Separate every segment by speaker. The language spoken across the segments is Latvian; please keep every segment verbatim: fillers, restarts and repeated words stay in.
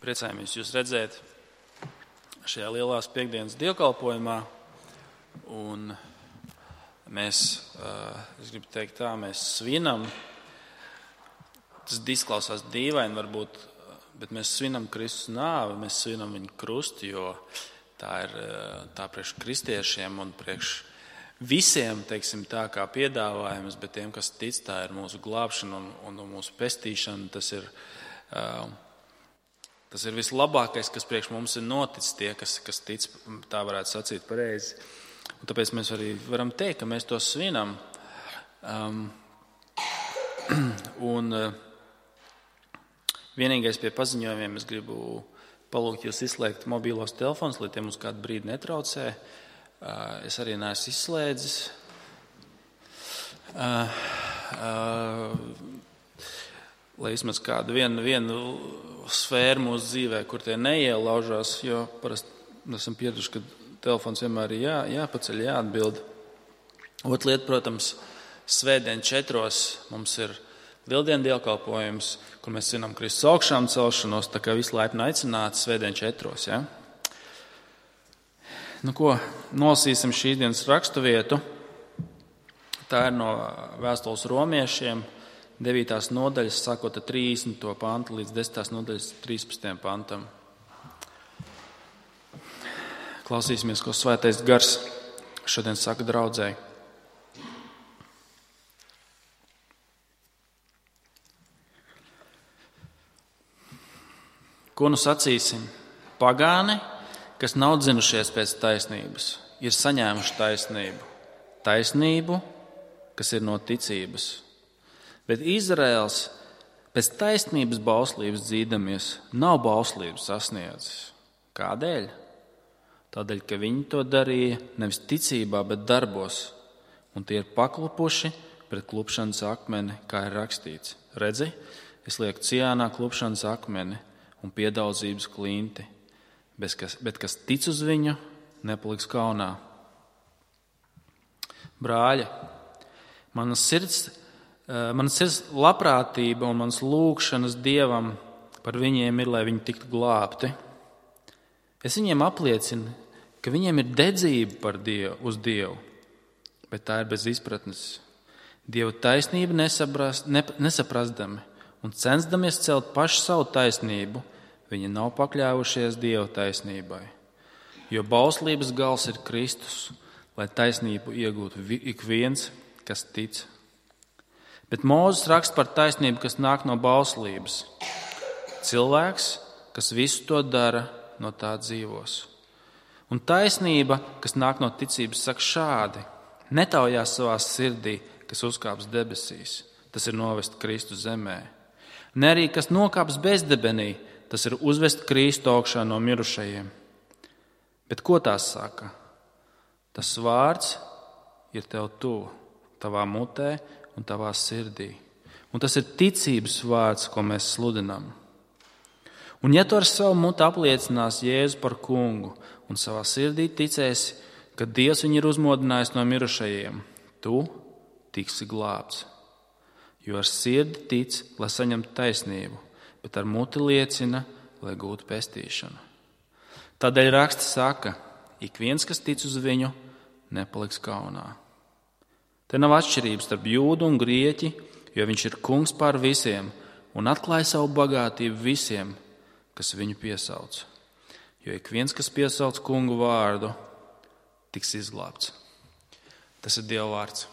Speaker 1: Priecājamies jūs redzēt šajā lielās piekdienas dievkalpojumā. Un mēs, es gribu teikt tā, mēs svinam. Tas izklausās dīvaini varbūt, bet mēs svinam Kristus nāvi, mēs svinam viņa krustu, jo tā ir tā priekš kristiešiem un priekš visiem, teiksim tā, kā piedāvājums, bet tiem, kas tic, tā ir mūsu glābšana un, un, un mūsu pestīšana. Tas ir, uh, tas ir vislabākais, kas priekš mums ir noticis, tie, kas, kas tic, tā varētu sacīt pareizi. Un tāpēc mēs arī varam teikt, ka mēs to svinam. Um, un uh, vienīgais pie paziņojumiem es gribu palūgt jūs izslēgt mobīlos telefonus, lai tie mums kādu brīdi netraucē. Uh, es arī neesmu izslēdzis. Uh, uh, lai vismaz kādu vienu, vienu sfēru mūsu dzīvē, kur tie neielaužās, jo parasti esam pieraduši, ka telefons vienmēr ir jā, jāpaceļ, jāatbild. Otra lieta, protams, svētdien četros mums ir lieldienu dievkalpojums, kur mēs svinam Kristus augšām celšanos, tā kā visi laipni aicināti svētdien četros, ja? Nu, ko nolasīsim šīs dienas raksturvietu. Tā ir no vēstules romiešiem, devītās nodaļas, sākot ar trīsdesmito pantu līdz desmitās nodaļas trīspadsmitajam pantam. Klausīsimies, ko Svētais Gars šodien saka draudzei. Ko nu sacīsim? Pagāni, kas nav dzinušies pēc taisnības, ir saņēmuši taisnību. Taisnību, kas ir no ticības. Bet Izraels pēc taisnības bauslības dzīdamies, nav bauslības sasniedzis. Kādēļ? Tādēļ, ka viņi to darīja nevis ticībā, bet darbos, un tie ir paklupuši pret klupšanas akmeni, kā ir rakstīts. Redzi, es lieku Ciānā klupšanas akmeni un piedaudzības klinti. Bet kas, bet kas tic uz viņu, nepaliks kaunā. Brāļa, manas sirds, manas sirds labprātība un manas lūgšanas Dievam par viņiem ir, lai viņi tiktu glābti. Es viņiem apliecinu, ka viņiem ir dedzība par Dievu, uz Dievu, bet tā ir bez izpratnes. Dieva taisnība nesaprast, ne, nesaprastami un censdamies celt pašu savu taisnību, viņi nav pakļāvušies Dieva taisnībai, jo bauslības gals ir Kristus, lai taisnību iegūtu ik viens, kas tic. Bet Mūzes raksta par taisnību, kas nāk no bauslības. Cilvēks, kas visu to dara, no tā dzīvos. Un taisnība, kas nāk no ticības, saka šādi: netaujās savā sirdī, kas uzkāps debesīs, tas ir novest Kristu zemē. Ne arī, kas nokāps bezdebenī, tas ir uzvest Kristu augšā no mirušajiem. Bet ko tās saka? Tas vārds ir tev tuvu, tavā mutē un tavā sirdī. Un tas ir ticības vārds, ko mēs sludinām. Un ja tu ar savu mutu apliecinās Jēzu par kungu un savā sirdī ticēsi, ka Dievs viņu ir uzmodinājis no mirušajiem, tu tiksi glābts. Jo ar sirdi tic, lai saņemtu taisnību, bet ar muti liecina, lai gūtu pestīšanu. Tādēļ raksts saka, ik viens, kas tic uz viņu, nepaliks kaunā. Te nav atšķirības starp jūdu un grieķi, jo viņš ir kungs pār visiem un atklāja savu bagātību visiem, kas viņu piesauc. Jo ik viens, kas piesauc kungu vārdu, tiks izglābts. Tas ir Dieva vārds.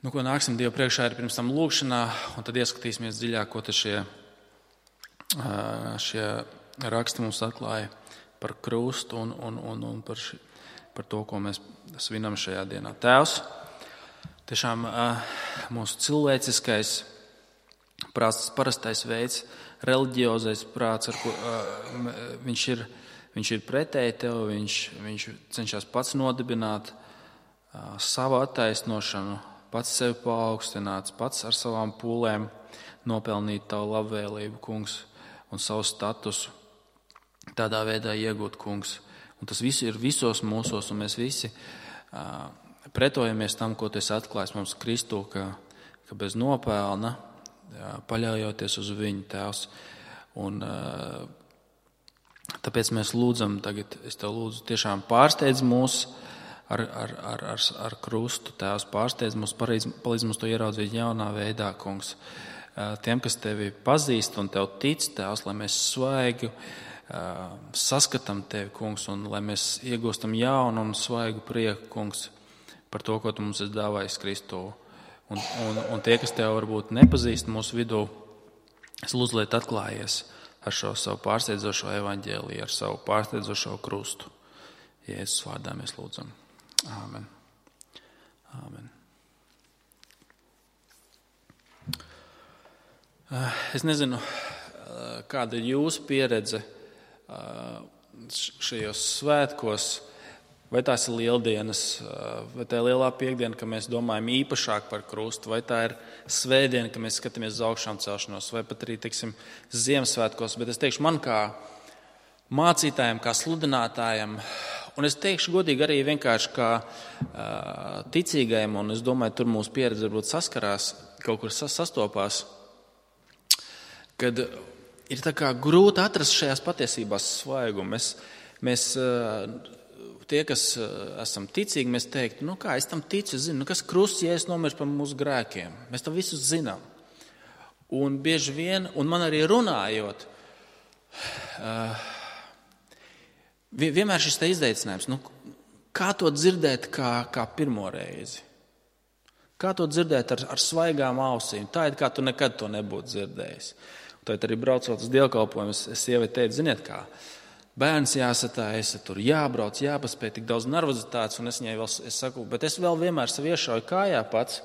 Speaker 1: Nu, ko nāksim Dievu priekšā ir pirms tam lūgšanā, un tad ieskatīsimies dziļāk, ko tad šie, šie raksti mums atklāja par krustu un, un, un, un par, ši, par to, ko mēs svinam šajā dienā. Tēvs, tiešām mūsu cilvēciskais prāts, parastais veids, reliģiozais prāts, ar ko viņš ir, viņš ir pretēji tev, viņš, viņš cenšas pats nodibināt savu attaisnošanu, pats sevi paaugstināts, pats ar savām pūlēm nopelnīt tavu labvēlību, kungs, un savu statusu tādā veidā iegūt, kungs. Un tas viss ir visos mūsos, un mēs visi uh, pretojamies tam, ko tu esi atklājis mums Kristū, ka, ka bez nopelna jā, paļaujoties uz viņu, Tēvs. Un tāpēc mēs lūdzam tagad, es Tev lūdzu, tiešām pārsteidz mūs ar, ar, ar, ar, ar krustu, Tēvs, pārsteidz mūs, palīdz mums to ieraudzīt jaunā veidā, Kungs. Tiem, kas Tevi pazīst un Tev tic, Tēvs, lai mēs svaigi saskatām Tevi, Kungs, un lai mēs iegūstam jaunu un svaigu prieku, Kungs, par to, ko Tu mums esi dāvājis Kristū. Un, un, un tie, kas Tev varbūt nepazīst mūsu vidū, es lūdzu, lai atklājies ar šo savu pārsteidzošo evaņģēliju, ar savu pārsteidzošo krustu. Jēzus vārdā mēs lūdzam. Āmen. Āmen. Es nezinu, kāda ir jūsu pieredze šajos svētkos, vai tās ir lieldienas, vai tā ir lielā piekdiena, ka mēs domājam īpašāk par krustu, vai tā ir svētdiena, ka mēs skatāmies uz augšām celšanos, vai pat arī, teiksim, Ziemassvētkos. Bet es teikšu, man kā mācītājiem, kā sludinātājiem, un es teikšu godīgi arī vienkārši kā ticīgajiem, un es domāju, tur mūsu pieredze varbūt saskarās, kaut kur sastopās, kad ir tā kā grūti atrast šajās patiesībās svaigumu. Mēs, mēs, tie, kas esam ticīgi, mēs teiktu, nu kā, es tam ticu, es zinu, nu kas krusts, ja es nomirs par mūsu grēkiem. Mēs to visu zinām. Un bieži vien, un man arī runājot, vienmēr šis te izaicinājums, nu, kā to dzirdēt kā, kā pirmo reizi? Kā to dzirdēt ar, ar svaigām ausīm? Tā ir, kā tu nekad to nebūtu dzirdējis. Tad arī braucot uz dievkalpojumu, es, es sievai teicu, ziniet kā, bērns jāsatājas, tur jābrauc, jāpaspēj, tik daudz nervozitātes, un es viņai vēl, es saku, bet es vēl vienmēr sev iešauju kājā pats,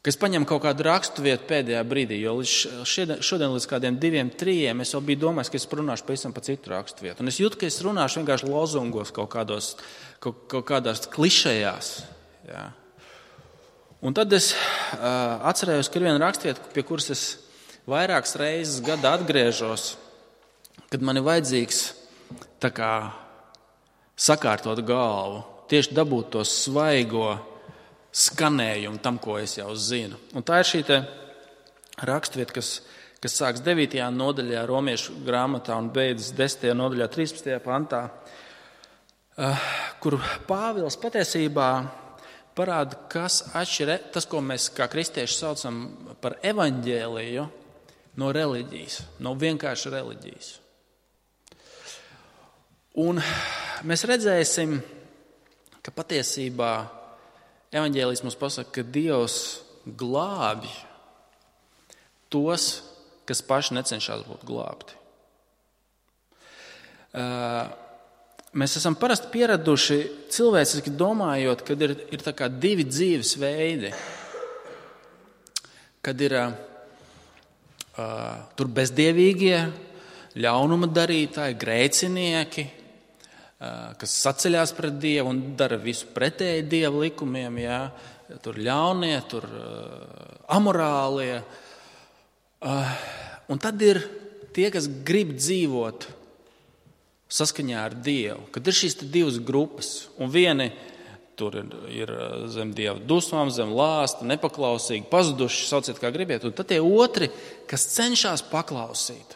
Speaker 1: ka es paņemu kaut kādu rakstu vietu pēdējā brīdī, jo šodien, šodien līdz kādiem diviem, trījiem es jau biju domājis, ka es runāšu pavisam pa citu rakstu vietu. Un es jūtu, ka es runāšu vienkārši lozungos kaut kādos, kaut, kaut kādās klišejās, jā. Un tad es uh, atcerējos, ka ir viena rakstvieta, pie kuras es vairākas reizes gadā atgriežos, kad man ir vajadzīgs tā kā sakārtot galvu, tieši dabūt to svaigo skanējumu tam, ko es jau zinu. Un tā ir šī te rakstvieta, kas, kas sāks devītajā nodaļā Romiešu grāmatā un beidzas desmitajā nodaļā trīspadsmitajā pantā, kur Pāvils patiesībā parāda, kas atšķir tas, ko mēs kā kristieši saucam par evaņģēliju, no reliģijas, no vienkārši reliģijas. Un mēs redzēsim, ka patiesībā evaņģēlijs mums pasaka, ka Dievs glābj tos, kas paši necenšas būt glābti. Mēs esam parasti pieraduši cilvēciski domājot, kad ir, ir tā kā divi dzīves veidi. Kad ir uh, tur bezdievīgie, ļaunuma darītāji, grēcinieki, uh, kas saceļās pret Dievu un dara visu pretēji Dieva likumiem. Jā. Tur ļaunie, tur uh, amorālie. Uh, un tad ir tie, kas grib dzīvot saskaņā ar Dievu, kad ir šīs divas grupas, un vieni tur ir, ir zem Dieva dusmām, zem lāsta, nepaklausīgi, pazuduši, sauciet kā gribiet, un tad tie otri, kas cenšas paklausīt,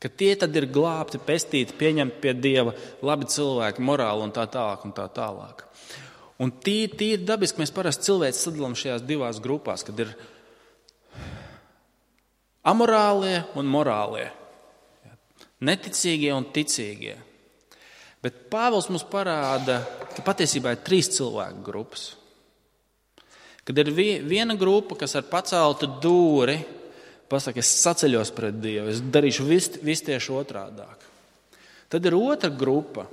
Speaker 1: ka tie tad ir glābti, pestīti, pieņemti pie Dieva, labi cilvēki, morāli un tā tālāk un tā tālāk. Un tīri, tīri dabiski mēs parasti cilvēci sadalām šajās divās grupās, kad ir amorālie un morālie. Neticīgie un ticīgie. Bet Pāvils mums parāda, ka patiesībā ir trīs cilvēku grupas. Kad ir viena grupa, kas ar paceltu dūri pasaka, es saceļos pret Dievu, es darīšu visu vis tieši otrādāk. Tad ir otra grupa,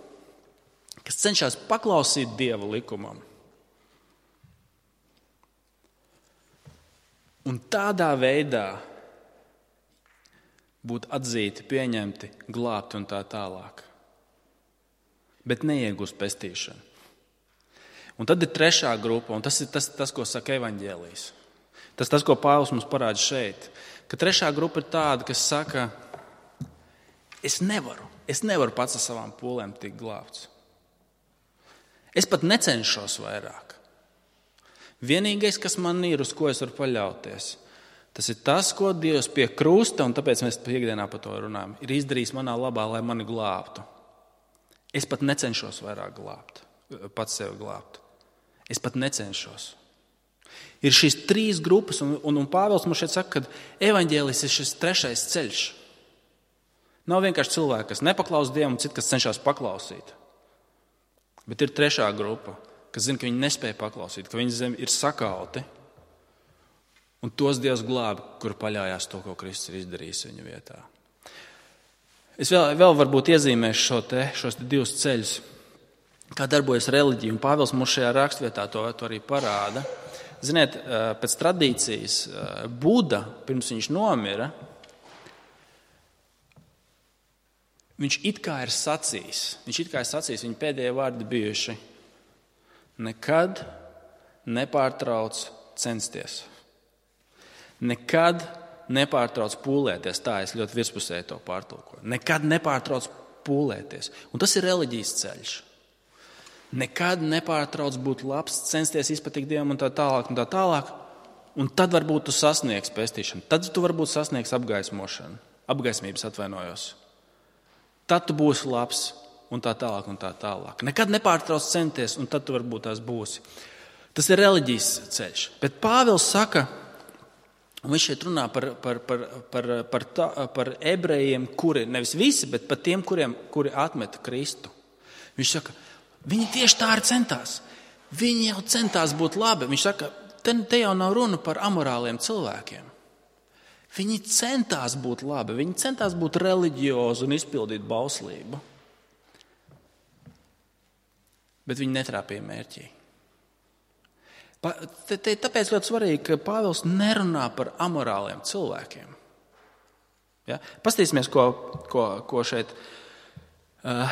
Speaker 1: kas cenšas paklausīt Dieva likumam. Un tādā veidā būt atzīti, pieņemti, glābti un tā tālāk. Bet neiegūst pestīšanu. Un tad ir trešā grupa, un tas ir tas, tas ko saka evaņģēlijs. Tas tas, ko Pāvils mums parāda šeit. Ka trešā grupa ir tāda, kas saka, es nevaru, es nevaru pats ar savām pūlēm tikt glābts. Es pat necenšos vairāk. Vienīgais, kas man ir, uz ko es varu paļauties, Tas ir tas, ko Dievs pie krusta, un tāpēc mēs piekdienā par to runājam, ir izdarījis manā labā, lai mani glābtu. Es pat necenšos vairāk glābt, pats sevi glābt. Es pat necenšos. Ir šīs trīs grupas, un, un, un Pāvils mums šeit saka, ka evaņģēlis ir šis trešais ceļš. Nav vienkārši cilvēki, kas nepaklaus Dievam, un citi, kas cenšas paklausīt. Bet ir trešā grupa, kas zina, ka viņi nespēja paklausīt, ka viņi zem ir sakauti. Un tos Dievs glābi, kur paļājās to, ko Kristus ir izdarījis viņa vietā. Es vēl, vēl varbūt iezīmēšu šo te, šos te divus ceļus, kā darbojas reliģija. Un Pāvils mums šajā rakstvietā to, to arī parāda. Ziniet, pēc tradīcijas Buda, pirms viņš nomira, viņš it kā ir sacījis, viņš it kā ir sacījis, viņa pēdējie vārdi bijuši: nekad nepārtrauc censties. Nekad nepārtrauc pūlēties. Tā es ļoti virspusēji to pārtulkoju. Nekad nepārtrauc pūlēties. Un tas ir reliģijas ceļš. Nekad nepārtrauc būt labs, censties izpatikt Dievam un tā tālāk un tā tālāk. Un tad varbūt tu sasniegs pestīšanu. Tad tu varbūt sasniegs apgaismošanu. Apgaismības atvainojos. Tad tu būsi labs un tā tālāk un tā tālāk. Nekad nepārtrauc censties un tad tu varbūt tās būsi. Tas ir reliģijas ceļš. Bet Pāvils saka, un viņš šeit runā par, par, par, par, par, tā, par ebrejiem, kuri, nevis visi, bet par tiem, kuriem, kuri atmeta Kristu. Viņš saka, viņi tieši tā arī centās. Viņi jau centās būt labi. Viņš saka, te, te jau nav runa par amorāliem cilvēkiem. Viņi centās būt labi, viņi centās būt reliģiozi un izpildīt bauslību. Bet viņi netrāpīja mērķī. Tāpēc ļoti svarīgi, ka Pāvils nerunā par amorāliem cilvēkiem. Ja? Pastīsimies, ko, ko, ko šeit uh,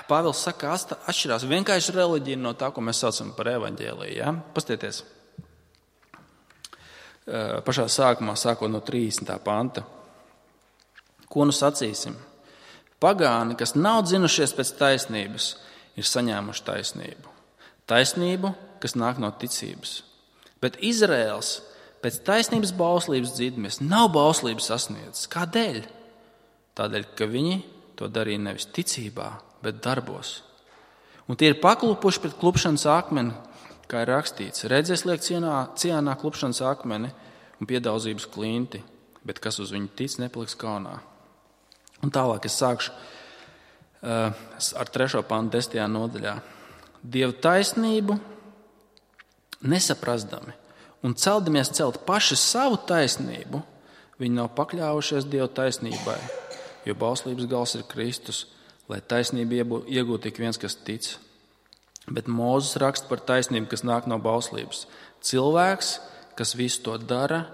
Speaker 1: Pāvils saka, atšķirās vienkārši reliģija no tā, ko mēs saucam par evaņģēliju. Ja? Pastieties uh, pašā sākumā, sākot no trīsdesmitā panta. Ko nu sacīsim? Pagāni, kas nav dzinušies pēc taisnības, ir saņēmuši taisnību. Taisnību, kas nāk no ticības. Bet Izraēls pēc taisnības bauslības dzīdmies nav bauslības sasniedzis. Kādēļ? Tādēļ, ka viņi to darīja nevis ticībā, bet darbos. Un tie ir paklupuši pret klupšanas akmeni, kā ir rakstīts. Redzēs liek cienā, cienā klupšanas akmeni un piedaudzības klinti, bet kas uz viņu tic, nepaliks kaunā. Un tālāk es sākšu uh, ar trešo pantu desmitajā nodaļā. Dievu taisnību nesaprastami un celdamies celt paši savu taisnību, viņi nav pakļāvušies Dievu taisnībai, jo bauslības gals ir Kristus, lai taisnību iegūtu tik viens, kas tic. Bet Mūzes raksta par taisnību, kas nāk no bauslības. Cilvēks, kas visu to dara,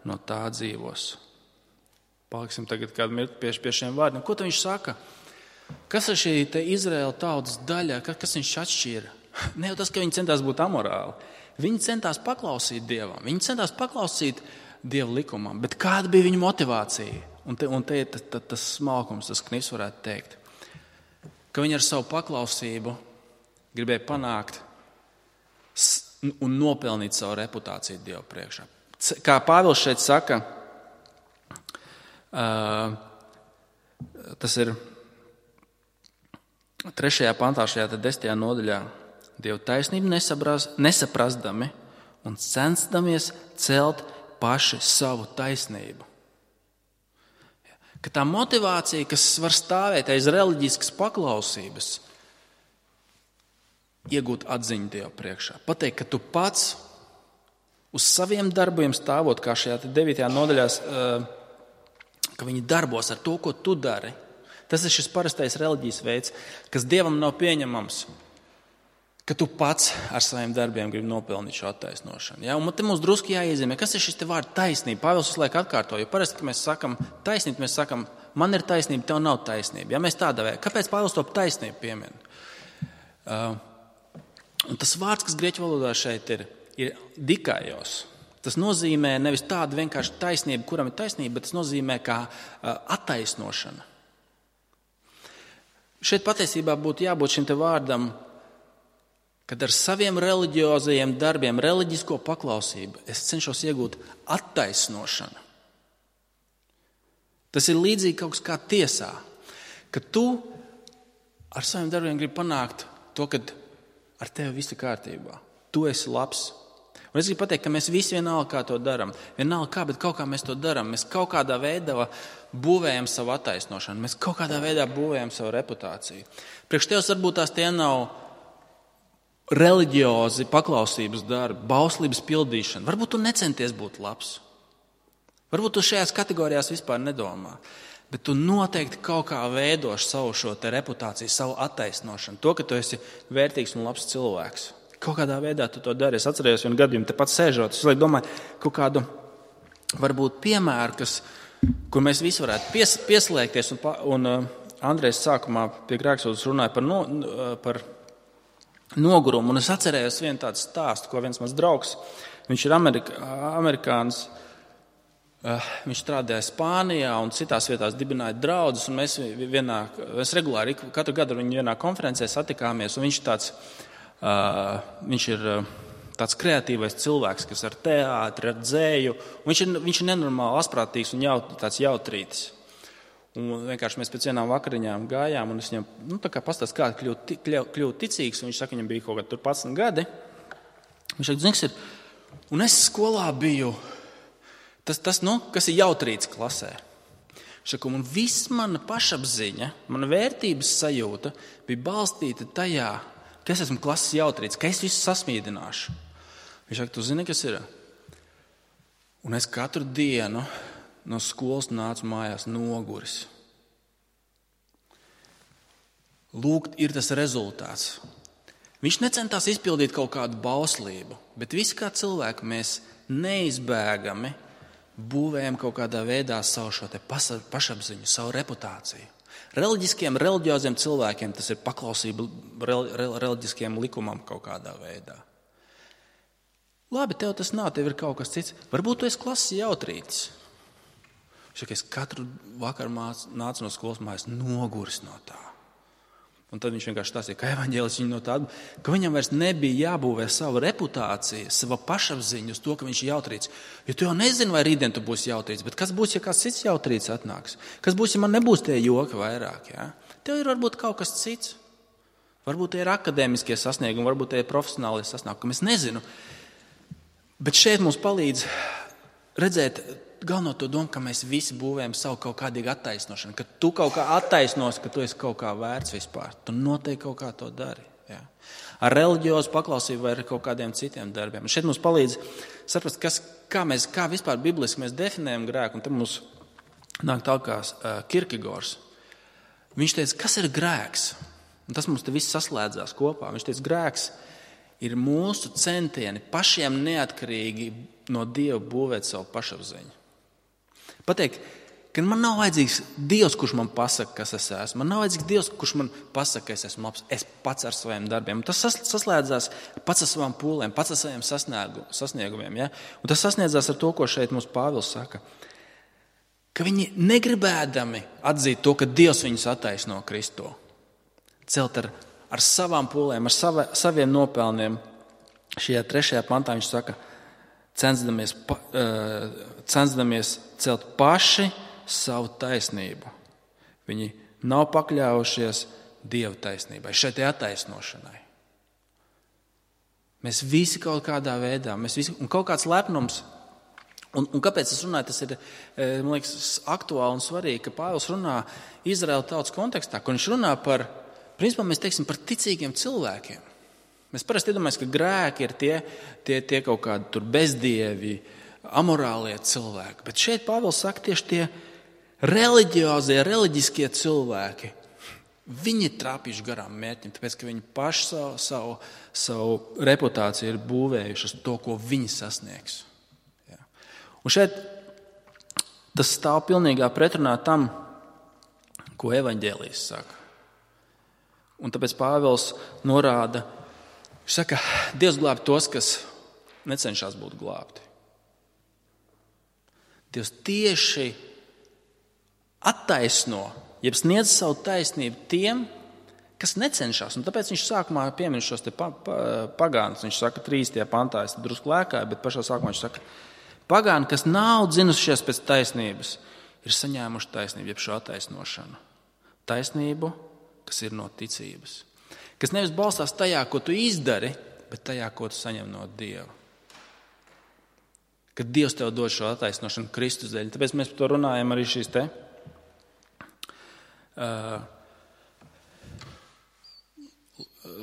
Speaker 1: no tā dzīvos. Paliksim tagad kādu mirkli pie, pie šiem vārdiem. Ko viņš saka? Kas ir šī te Izraēla tautas daļa? Kas viņš atšķīra? Ne jau tas, ka viņi centās būt amorāli. Viņi centās paklausīt Dievam. Viņi centās paklausīt Dieva likumam. Bet kāda bija viņa motivācija? Un te, un te ir tas, tas, tas smalkums, tas knis varētu teikt. Ka viņi ar savu paklausību gribēja panākt un nopelnīt savu reputāciju Dieva priekšā. Kā Pāvils šeit saka, uh, tas ir trešajā pantā, šajā desmitajā nodaļā. Dievu taisnību nesaprastami un censdamies celt paši savu taisnību. Ka tā motivācija, kas var stāvēt aiz reliģiskas paklausības, iegūt atziņu Dievu priekšā. Pateikt, ka tu pats uz saviem darbiem stāvot, kā šajā devītajā nodaļā, ka viņi darbos ar to, ko tu dari. Tas ir šis parastais reliģijas veids, kas Dievam nav pieņemams, ka tu pats ar saviem darbiem gribi nopelnīt šo attaisnošanu. Ja? Un te mums drusku jāiezīmē, kas ir šis te vārds taisnība. Pāvils visu laiku atkārto, jo parasti, kad mēs sakam taisnība, mēs sakam, man ir taisnība, tev nav taisnība. Ja mēs tādā veidā, kāpēc Pāvils to taisnību piemin? Uh, un tas vārds, kas grieķu valodā šeit ir, ir dikaios. Tas nozīmē nevis tādu vienkārši taisnību, kuram ir taisnība, bet tas nozīmē kā uh, attaisnošana. Šeit patiesībā būtu jābūt šim te vārdam kad ar saviem reliģiozajiem darbiem, reliģisko paklausību es cenšos iegūt attaisnošanu. Tas ir līdzīgi kaut kas kā tiesā, ka tu ar saviem darbiem gribi panākt to, ka ar tevi viss ir kārtībā. Tu esi labs. Un es gribu pateikt, ka mēs visi vienalga kā to darām. Vienalga kā, bet kaut kā mēs to darām. Mēs kaut kādā veidā būvējam savu attaisnošanu. Mēs kaut kādā veidā būvējam savu reputāciju. Priekš tevis varbūt tās tie nav reliģiozi paklausības darbi, bauslības pildīšana. Varbūt tu necenties būt labs. Varbūt tu šajās kategorijās vispār nedomā. Bet tu noteikti kaut kā veidoši savu šo te reputāciju, savu attaisnošanu. To, ka tu esi vērtīgs un labs cilvēks. Kaut kādā veidā tu to dari. Es atcerējos vienu gadījumu, tepat sēžot. Es domāju, kaut kādu varbūt piemēru, kas, kur mēs visi varētu pies, pieslēgties. Un, un uh, Andrejs sākumā pie Grēksūdas runāja par, no, par nogurumu. Un es atcerējos vienu tādu stāstu, ko viens mans draugs, viņš ir Amerika, amerikānis, uh, viņš strādāja Spānijā un citās vietās dibināja draudzes. Un mēs, vienā, mēs regulāri katru gadu ar viņu vienā konferencē satikāmies. Un viņš tāds Uh, viņš ir uh, tāds kreatīvais cilvēks, kas ar teātri, ar dzēju. Viņš ir, viņš ir nenormāli asprātīgs un jaut, tāds jautrītis. Un vienkārši mēs pēc vienām vakariņām gājām, un es viņam nu, pastāstīju, kā kļūt, kļūt ticīgs. Un viņš saka, viņam bija kaut kādi padsmit gadi. Viņš saka, zināms, ir. Un es skolā biju tas, tas nu, kas ir jautrītis klasē. Viņš saka, un viss mana pašapziņa, mana vērtības sajūta bija balstīta tajā, ka es esmu klases jautrītis, ka es visu sasmīdināšu. Viņš saka, tu zini, kas ir? Un es katru dienu no skolas nācu mājās noguris. Lūk, ir tas rezultāts. Viņš necentās izpildīt kaut kādu bauslību, bet visi kā cilvēki mēs neizbēgami būvējam kaut kādā veidā savu šo te pašapziņu, savu reputāciju. Reliģiskiem, reliģioziem cilvēkiem tas ir paklausība reliģiskiem likumam kaut kādā veidā. Labi, tev tas nav, tev ir kaut kas cits. Varbūt tu esi klases jautrītis. Es katru vakaru nācu no skolas mājas noguris no tā. Un tad viņš vienkārši stāstīja, ka evaņģēlis viņu no tāda, ka viņam vairs nebija jābūvē sava reputācija, sava pašapziņa uz to, ka viņš ir jautrīts. Jo tu jau nezini, vai rītdien tu būsi jautrīts, bet kas būs, ja kāds cits jautrīts atnāks? Kas būs, ja man nebūs tie joki vairāk? Ja? Tev ir varbūt kaut kas cits. Varbūt tie ir akadēmiskie sasniegumi, varbūt tie ir profesionālie sasniegumi, es nezinu. Bet šeit mums palīdz redzēt galveno to domu, ka mēs visi būvējam savu kaut kādīgu attaisnošanu, ka tu kaut kā attaisnos, ka tu esi kaut kā vērts vispār. Tu noteikti kaut kā to dari. Ja? Ar reliģiozu paklausību vai ar kaut kādiem citiem darbiem. Un šeit mums palīdz saprast, kas, kā, mēs, kā vispār bibliski mēs definējam grēku. Un tad mums nāk tā kā uh, Kierkegaards. Viņš teica, kas ir grēks? Un tas mums te viss saslēdzās kopā. Viņš teica, grēks ir mūsu centieni pašiem neatkarīgi no Dieva būvēt savu pašapziņu. Pateikt, ka man nav vajadzīgs Dievs, kurš man pasaka, kas es esmu. Man nav vajadzīgs Dievs, kurš man pasaka, ka es esmu labs. Es pats ar saviem darbiem. Un tas saslēdzās pats ar savām pūlēm, pats ar saviem sasniegumiem. Ja? Un tas sasniedzās ar to, ko šeit mums Pāvils saka. Ka viņi negribēdami atzīt to, ka Dievs viņus attaisno Kristo. Celt ar, ar savām pūlēm, ar sava, saviem nopelniem. Šajā trešajā pantā viņš saka, censdamies, censdamies celt paši savu taisnību. Viņi nav pakļāvušies Dieva taisnībai, šai te attaisnošanai. Mēs visi kaut kādā veidā, mēs visi, un kaut kāds lepnums, un, un kāpēc es runāju, tas ir, man liekas, aktuāli un svarīgi, ka Pāvils runā Izraēla tautas kontekstā, kur viņš runā par, principā mēs teiksim, par ticīgiem cilvēkiem. Mēs parasti iedomājamies, ka grēki ir tie, tie, tie kaut kādi tur bezdievi, amorālie cilvēki. Bet šeit Pāvils saka tieši tie reliģiozie, reliģiskie cilvēki. Viņi ir trāpījuši garām mērķim, tāpēc, ka viņi paši savu, savu, savu reputāciju ir būvējuši uz to, ko viņi sasniegs. Ja. Un šeit tas stāv pilnīgā pretrunā tam, ko evaņģēlijs saka. Un tāpēc Pāvils norāda, viņš saka, Dievs glābj tos, kas necenšas būt glābti. Dievs tieši attaisno, jeb sniedz savu taisnību tiem, kas necenšas. Un tāpēc viņš sākumā piemin šos te pa, pa, pagānus. Viņš saka, trīs tie pantā, es drusku lēkāju, bet pašā sākumā viņš saka, pagāni, kas nav dzinušies pēc taisnības, ir saņēmuši taisnību, jeb šo attaisnošanu. Taisnību, kas ir no ticības. Kas nevis balstās tajā, ko tu izdari, bet tajā, ko tu saņem no Dieva. Kad Dievs tev dod šo attaisnošanu Kristus dēļ. Tāpēc mēs par to runājam arī šīs te uh,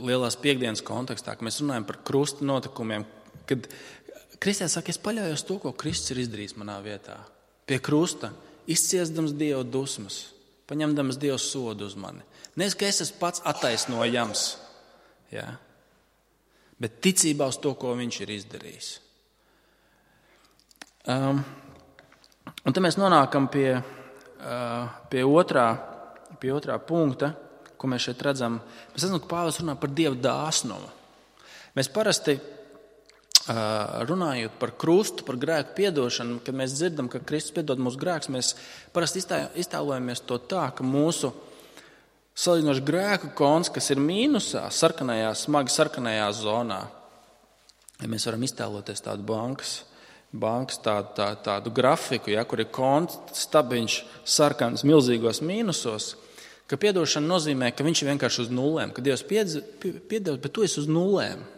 Speaker 1: lielās piekdienas kontekstā, kad mēs runājam par krusta notikumiem, kad kristietis saka, es paļaujos to, ko Kristus ir izdarījis manā vietā. Pie krusta, izciesdams Dieva dusmas, paņemdams Dieva sodu uz mani. Nevis, ka es esmu pats attaisnojams, ja? Bet ticībā uz to, ko viņš ir izdarījis. Um, un te mēs nonākam pie, uh, pie, otrā, pie otrā punkta, ko mēs šeit redzam. Mēs redzam, ka Pāvils runā par Dieva dāsnumu. Mēs parasti runājot par krustu, par grēku piedošanu, kad mēs dzirdam, ka Kristus piedod mūsu grēkus, mēs parasti iztēlojamies to tā, ka mūsu salīdzinoši grēku konts, kas ir mīnusā, sarkanajā, smagi sarkanajā zonā, ja mēs varam iztēloties tādu bankas, bankas tādu, tā, tādu grafiku, ja, kur ir konts stabiņš sarkanas milzīgos mīnusos, ka piedošana nozīmē, ka viņš ir vienkārši uz nulēm, ka Dievs piedod, bet tu esi uz nulēm.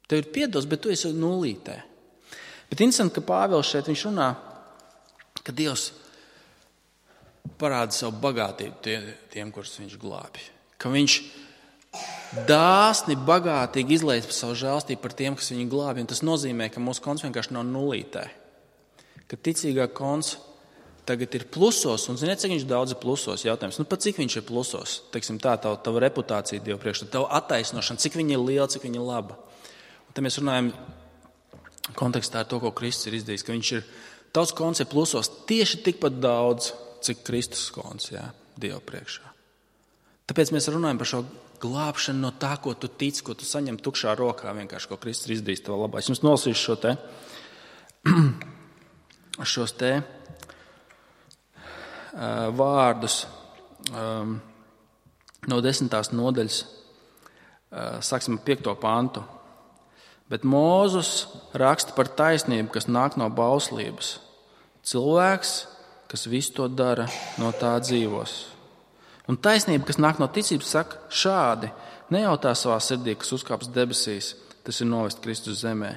Speaker 1: Tev ir piedots, bet tu esi uz nulītē. Bet interesanti, ka Pāvils šeit viņš runā, ka Dievs parāda savu bagātību tie, tiem, kurus viņš glābj. Ka viņš dāsni, bagātīgi izlaiž savu žēlstību par tiem, kas viņu glābj. Un tas nozīmē, ka mūsu konts vienkārši nav nulītē. Ka ticīgā konts tagad ir plusos, un ziniet, cik viņš daudz ir plusos, jautājums. Nu, pat cik viņš ir plusos? Teiksim tā, tava, tava reputācija Dieva priekšā, tava attaisnošana, cik viņa ir liela, cik viņa ir laba. Un te mēs runājam kontekstā ar to, ko Kristus ir izdarījis, ka viņš ir, tavs konts ir plusos tieši tikpat daudz, cik Kristus konts, jā, Dieva priekšā. Tāpēc mēs runājam par šo glābšanu no tā, ko tu tici, ko tu saņem tukšā rokā, vienkārši, ko Kristus ir izdarījis tavā labā. Es jums nolasīšu šo te, šos te, vārdus um, no desmitās nodaļas, uh, sāksim ar piekto pantu. Bet Mūzes raksta par taisnību, kas nāk no bauslības. Cilvēks, kas visu to dara, no tā dzīvos. Un taisnība, kas nāk no ticības, saka šādi: nejautā savā sirdī, kas uzkāps debesīs, tas ir novest Kristus zemē.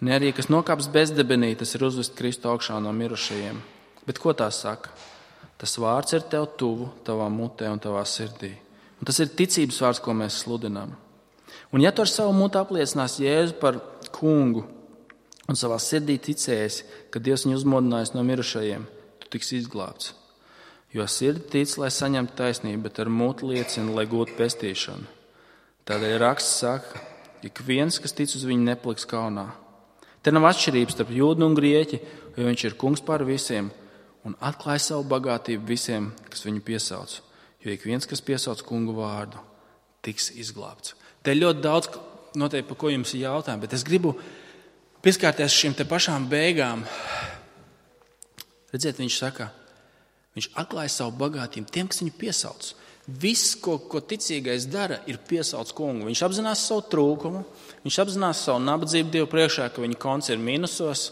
Speaker 1: Ne arī, kas nokāps bezdebenī, tas ir uzvest Kristu augšā no mirušajiem. Bet ko tā saka? Tas vārds ir tev tuvu, tavā mutē un tavā sirdī. Un tas ir ticības vārds, ko mēs sludinām. Un ja tu ar savu mutu apliecināsi Jēzu par kungu un savā sirdī ticēsi, ka Dievs viņu uzmodinājis no mirušajiem, tu tiksi izglābts. Jo sirdi tic, lai saņemtu taisnību, bet ar mutu liecina, lai gūtu pestīšanu. Tādēļ raksts saka, ik viens, kas tic uz viņu, nepaliks kaunā. Te nav atšķirības starp jūdu un grieķi, jo viņš ir kungs pār visiem un atklāja savu bagātību visiem, kas viņu piesauc. Jo ik viens, kas piesauc kungu vārdu, tiks izglābts. Te ir ļoti daudz, noteikti, par ko jums ir jautājumi, bet es gribu pieskārties šīm te pašām beigām. Redziet, viņš saka, viņš atklāja savu bagātību tiem, kas viņu piesauc. Viss, ko, ko ticīgais dara, ir piesauc kungu. Viņš apzinās savu trūkumu, viņš apzinās savu nabadzību Dievu priekšā, ka viņa konts ir mīnusos,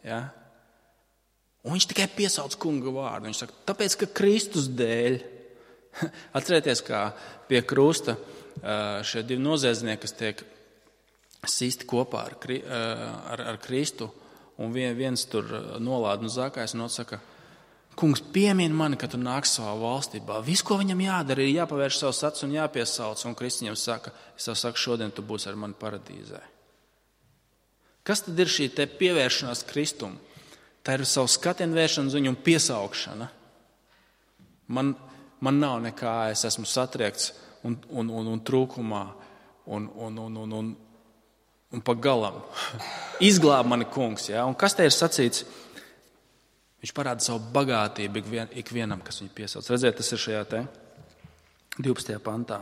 Speaker 1: ja? Un viņš tikai piesauc kunga vārdu. Viņš saka, tāpēc, ka Kristus dēļ, atcerieties, kā pie krusta šie divi noziedznieki, kas tiek sisti kopā ar, ar, ar Kristu, un viens tur nolāda un zakājas, un otrs saka, kungs, piemini mani, ka tu nāks savā valstībā. Viss, ko viņam jādara, ir jāpavērš savus acis un jāpiesauc, un Kristus viņam saka, es tev saku, šodien tu būsi ar mani paradīzē. Kas tad ir šī te pievēršanās Kristum? Tā ir savu skatienu vēršana uz viņu un piesaukšana. Man, man nav nekā, es esmu satriekts un, un, un, un trūkumā un, un, un, un, un, un pa galam. Izglāb mani kungs. Ja? Un kas te ir sacīts? Viņš parāda savu bagātību ikvien, ikvienam, kas viņu piesauc. Redziet, tas ir šajā te divpadsmitajā pantā.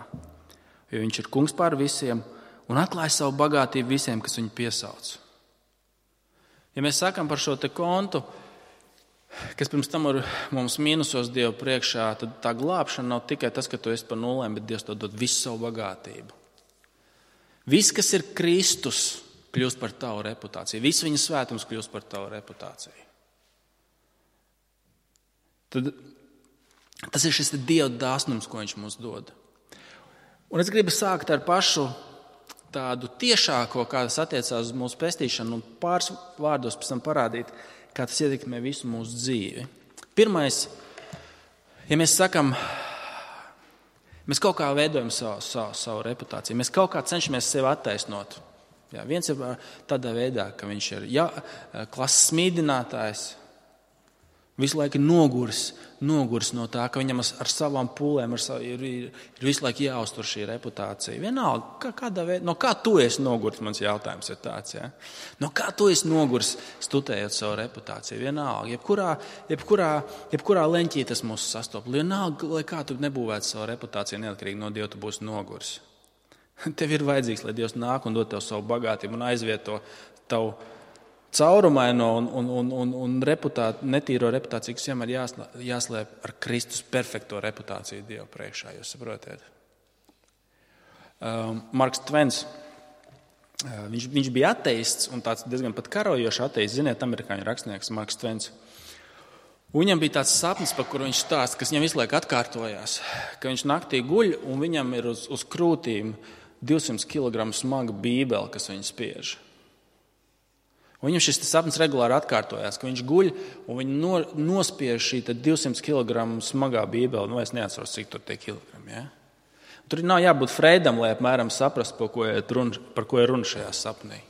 Speaker 1: Jo viņš ir kungs pār visiem un atklāja savu bagātību visiem, kas viņu piesauc. Ja mēs sakam par šo te kontu, kas pirms tam ir mums mīnusos Dievu priekšā, tad tā glābšana nav tikai tas, ka tu esi par nulēm, bet Dievs to dod visu savu bagātību. Viss, kas ir Kristus, kļūst par tavu reputāciju. Viss viņa svētums kļūst par tavu reputāciju. Tad tas ir šis Dieva dāsnums, ko viņš mums dod. Un es gribu sākt ar pašu tādu tiešāko, kā tas attiecās uz mūsu pestīšanu, un pāris vārdos pēc tam parādīt, kā tas ietekmē visu mūsu dzīvi. Pirmais, ja mēs sakam, mēs kaut kā veidojam savu, savu, savu reputāciju, mēs kaut kā cenšamies sevi attaisnot. Jā, viens ir tādā veidā, ka viņš ir jā, klases smīdinātājs, visu laiku noguris, noguris no tā, ka viņam ar savām pūlēm ar savu, ir, ir, ir visu laiku jāuztur šī reputācija. Vienalga, kā, kādā veidā, no kā tu esi noguris, mans jautājums ir tāds. Ja? No kā tu esi noguris, studējot savu reputāciju? Vienalga, jebkurā, jebkurā, jebkurā leņķī tas mūs sastop. Vienalga, lai kā tu nebūvētu savu reputāciju, neatkarīgi no Dieva, tu būsi noguris. Tev ir vajadzīgs, lai Dievs nāk un dod tev savu bagātību un aizvieto tavu caurumaino un, un, un, un, un reputāt, netīro reputāciju, kas vienmēr jāslēp ar Kristus perfekto reputāciju Dieva priekšā. Jūs saprotiet? Um, Marks Tvens, uh, viņš, viņš bija ateists un tāds diezgan pat karojošs ateists. Ziniet, amerikāņu rakstnieks Marks Tvens. Un viņam bija tāds sapnis, par kuru viņš stāsta, kas viņam visu laiku atkārtojās, ka viņš naktī guļ un viņam ir uz, uz krūtīm divsimt kilogramu smaga bībele, kas viņu spiež. Un viņam šis sapnis regulāri atkārtojās, ka viņš guļ un viņi no, nospiež šī divsimt kilogramu smagā bībele. Nu, es neatceros, cik tur tie kilogrami. Ja? Tur nav jābūt Freidam, lai apmēram saprastu, par ko ir runa, par ko ir runa šajā sapnī.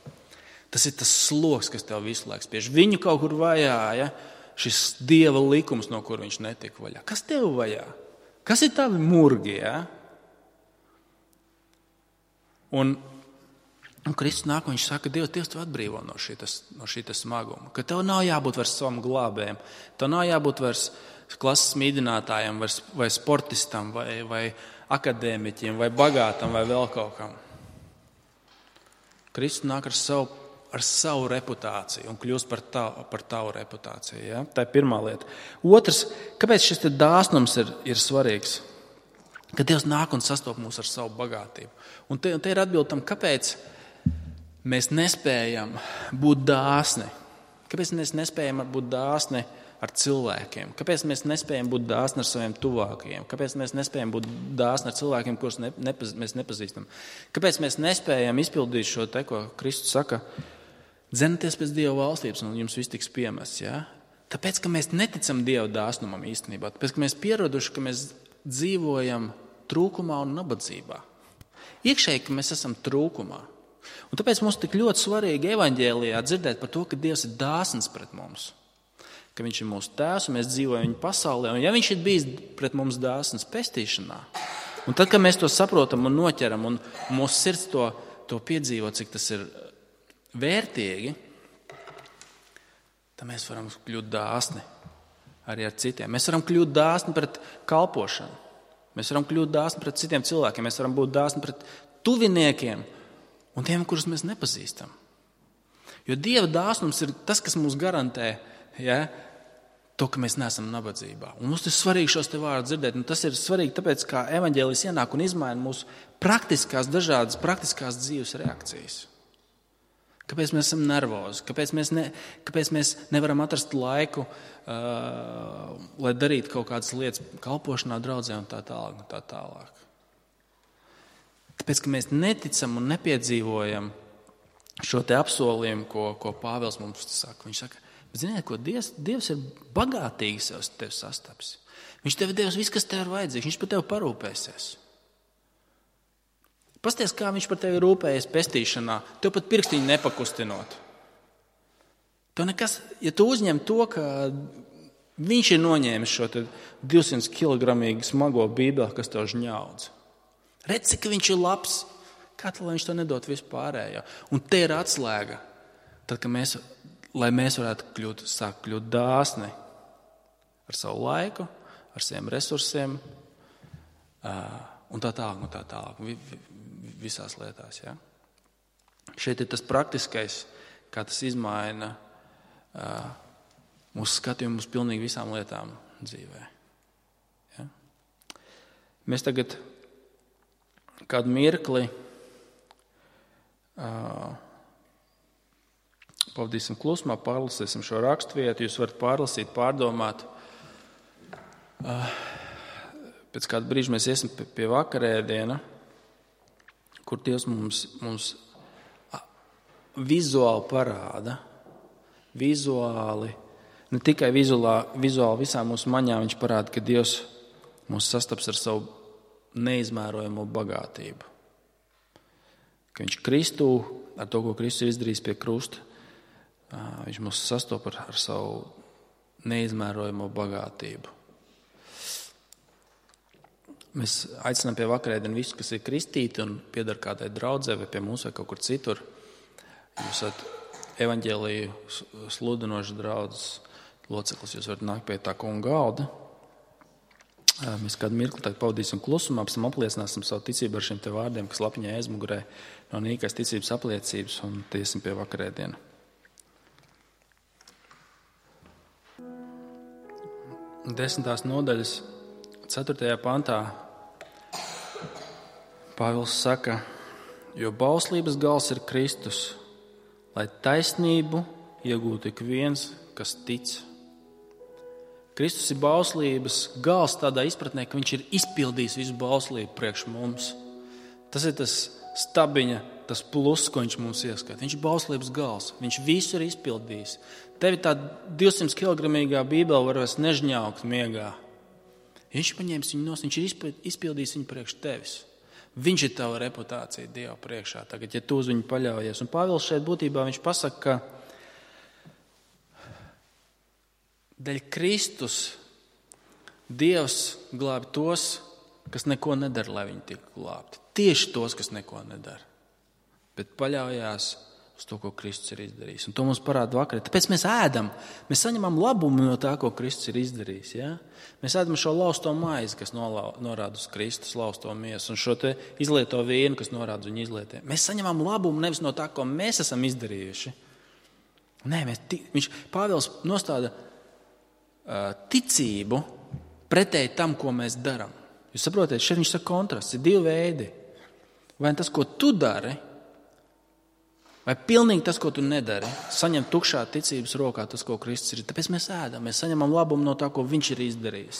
Speaker 1: Tas ir tas sloks, kas tev visu laiku spiež. Viņu kaut kur vajāja, šis Dieva likums, no kur viņš netika vaļā. Kas tev vajā? Kas ir tavi murgi? Ja? Un Un Kristus nāk un viņš saka, Dievs, Dievs tev atbrīvo no šītas, no šītas smaguma. Ka tev nav jābūt vairs savam glābējam, tev nav jābūt vairs klases mīdinātājam, vai sportistam, vai, vai akadēmiķim, vai bagātam, vai vēl kaut kam. Kristus nāk ar savu, ar savu reputāciju un kļūst par tavu, par tavu reputāciju. Ja? Tā ir pirmā lieta. Otrs, kāpēc šis dāsnums ir, ir svarīgs? Ka Dievs nāk un sastop mūs ar savu bagātību. Un te, te ir atbilde tam, kāpēc mēs nespējam būt dāsni. Kāpēc mēs nespējam būt dāsni ar cilvēkiem? Kāpēc mēs nespējam būt dāsni ar saviem tuvākajiem? Kāpēc mēs nespējam būt dāsni ar cilvēkiem, kurus ne, nepaz, mēs nepazīstam? Kāpēc mēs nespējam izpildīt šo te, ko Kristus saka, dzenieties pēc Dieva valstības un jums viss tiks piemests? Ja? Tāpēc, ka mēs neticam Dieva dāsnumam īstenībā. Tāpēc, ka mēs pieraduši, ka mēs dzīvojam trūkumā un nabadzībā. Iekšēji, ka mēs esam trūkumā. Un tāpēc mums tik ļoti svarīgi evaņģēlijā dzirdēt par to, ka Dievs ir dāsns pret mums. Ka viņš ir mūsu tēvs un mēs dzīvojam viņa pasaulē. Un ja viņš ir bijis pret mums dāsns pestīšanā, un tad, kad mēs to saprotam un noķeram un mūsu sirds to, to piedzīvo, cik tas ir vērtīgi, tad mēs varam kļūt dāsni arī ar citiem. Mēs varam kļūt dāsni pret kalpošanu. Mēs varam kļūt dāsni pret citiem cilvēkiem. Mēs varam būt dāsni pret tuviniekiem un tiem, kurus mēs nepazīstam. Jo Dieva dāsnums ir tas, kas mums garantē, ja, to, ka mēs neesam nabadzībā. Un mums ir svarīgi šos te vārdus dzirdēt. Un tas ir svarīgi tāpēc, kā evaņģēlijs ienāk un izmaina mūsu praktiskās, dažādas praktiskās dzīves reakcijas. Kāpēc mēs esam nervozi? Kāpēc mēs, ne, kāpēc mēs nevaram atrast laiku, uh, lai darītu kaut kādas lietas kalpošanā, draudzē un tā tālāk un tā tālāk? Tāpēc, ka mēs neticam un nepiedzīvojam šo te apsolījumu, ko, ko Pāvils mums saka. Viņš saka, ziniet, ko Dievs, Dievs ir bagātīgi sev tevi sastaps. Viņš tev devis viss, kas tev ir vajadzīgs. Viņš par tevi parūpēsies. Pasties, kā viņš par tevi rūpējies pestīšanā, tev pat pirkstiņu nepakustinot. Tev nekas, ja tu uzņem to, ka viņš ir noņēmis šo te divsimt kilogramīgu smago bībeli, kas tev žņaudz. Redz, cik viņš ir labs, kā tā, lai viņš to nedod vispārējo. Un te ir atslēga, tad, ka mēs, lai mēs varētu kļūt, sākt kļūt dāsni ar savu laiku, ar saviem resursiem un tā tālāk, un tā tālāk, visās lietās. Ja? Šeit ir tas praktiskais, kā tas izmaina mūsu skatījumu uz pilnīgi visām lietām dzīvē. Ja? Mēs tagad kādu mirkli uh, pavadīsim klusumā, pārlasīsim šo raksturvietu. Jūs varat pārlasīt, pārdomāt. Uh, pēc kāda brīža mēs iesim pie, pie vakarēdiena, kur Dievs mums, mums vizuāli parāda, vizuāli, ne tikai vizuāli, vizuāli visām mūsu maņām viņš parāda, ka Dievs mūs sastaps ar savu neizmērojamo bagātību. Ka viņš Kristū, ar to, ko Kristus ir izdarījis pie krusta, viņš mūs sastop ar, ar savu neizmērojamo bagātību. Mēs aicinām pie vakarēdienu visus, kas ir kristīti un piedar kādai draudzē vai pie mums vai kaut kur citur. Jūs esat evaņģēliju sludinošas draudzes loceklis, jūs varat nākt pie tā kunga galda. Mēs kādu mirkli tagad pavadīsim klusumā, pēc tam apliecināsim savu ticību ar šiem te vārdiem, kas lapiņā aizmugurē no nīkais ticības apliecības, un tiesim pie vakarēdienu. Desmitās nodaļas ceturtajā pantā Pāvils saka, jo bauslības gals ir Kristus, lai taisnību iegūtu ik viens, kas tic. Kristus ir bauslības gals tādā izpratnē, ka viņš ir izpildījis visu bauslību priekš mums. Tas ir tas stabiņa, tas plus, ko viņš mums ieskata. Viņš ir bauslības gals, viņš visu ir izpildījis. Tevi tā divsimt kilogramīgā bībele var vairs nežņaukt miegā. Viņš paņēmis viņu nos, viņš ir izpildījis viņu priekš tevis. Viņš ir tava reputācija Dieva priekšā, tagad, ja tu uz viņu paļaujies. Un Pāvils šeit būtībā viņš pasaka, ka dēļ Kristus Dievs glābi tos, kas neko nedara, lai viņi tiktu glābti. Tieši tos, kas neko nedara, bet paļaujās uz to, ko Kristus ir izdarījis. Un to mums parāda vakarē. Tāpēc mēs ēdam, mēs saņemam labumu no tā, ko Kristus ir izdarījis. Ja? Mēs ēdam šo lausto maizi, kas norāda uz Kristus lausto miesu, un šo te izlieto vīnu, kas norāda uz viņu izlietiem. Mēs saņemam labumu nevis no tā, ko mēs esam izdarījuši. Nē, mēs, viņš, Pāvils nostāda uh, ticību pretēji tam, ko mēs darām. Jūs saprotiet, šeit viņš saka kontrasts, ir divi veidi. Vai tas, ko tu dari, vai pilnīgi tas, ko tu nedari, saņem tukšā ticības rokā tas, ko Kristus ir. Tāpēc mēs ēdam, mēs saņemam labumu no tā, ko viņš ir izdarījis.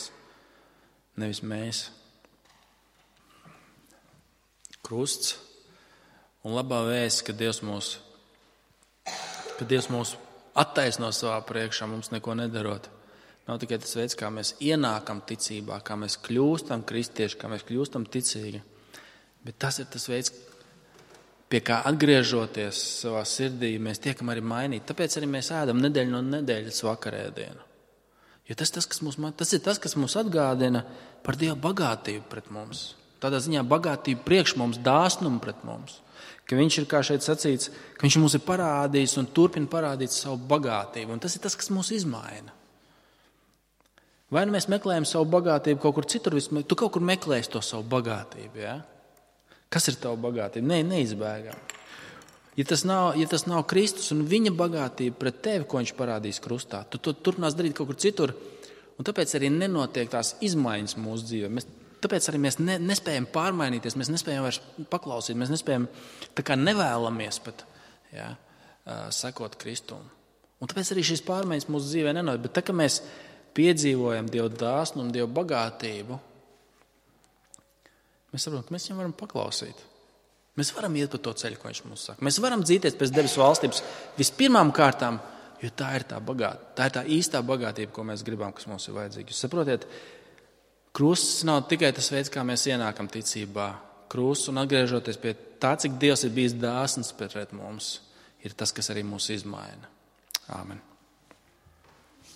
Speaker 1: Nevis mēs. Krusts un labā vēsts, ka Dievs mūs, ka Dievs mūs attaisno savā priekšā, mums neko nedarot. Nav tikai tas veids, kā mēs ienākam ticībā, kā mēs kļūstam kristieši, kā mēs kļūstam ticīgi. Bet tas ir tas veids, pie kā atgriežoties savā sirdī, mēs tiekam arī mainīti. Tāpēc arī mēs ēdam nedēļu no nedēļas vakarēdienu. Jo tas, tas, kas mums, tas ir tas, kas mums atgādina par Dieva bagātību pret mums. Tādā ziņā bagātību priekš mums, dāsnumu pret mums. Ka viņš ir, kā šeit sacīts, ka viņš mums ir parādījis un turpina parādīt savu bagātību. Un tas ir tas, kas mūs izmaina. Vai nu mēs meklējam savu bagātību kaut kur citur, tu kaut kur meklēsi to savu bagātību, ja? Kas ir tava bagātība? Nē, neizbēgam. Ja tas nav, ja tas nav Kristus un viņa bagātība pret tevi, ko viņš parādīs krustā, tu to turpinās darīt kaut kur citur, un tāpēc arī nenotiek tās izmaiņas mūsu dzīvē. Mēs, tāpēc arī mēs ne, nespējam pārmainīties, mēs nespējam vairs paklausīt, mēs nespējam, tā kā nevēlamies pat, ja, sekot Kristum. Un tāpēc arī šīs pārmaiņas mūsu dzīvē nenotiek. Bet tā, ka mēs piedzīvojam Dieva dāsnumu un Dieva bagātību, mēs saprotam, ka mēs viņam varam paklausīt. Mēs varam iet pa to ceļu, ko viņš mums saka. Mēs varam dzīties pēc debesu valstības vispirmām kārtām, jo tā ir tā bagātība, tā ir tā īstā bagātība, ko mēs gribam, kas mums ir vajadzīga. Jūs saprotiet, krusts nav tikai tas veids, kā mēs ienākam ticībā. Krusts un atgriežoties pie tā, cik Dievs ir bijis dāsns pret mums, ir tas, kas arī mūs izmaina. Āmen.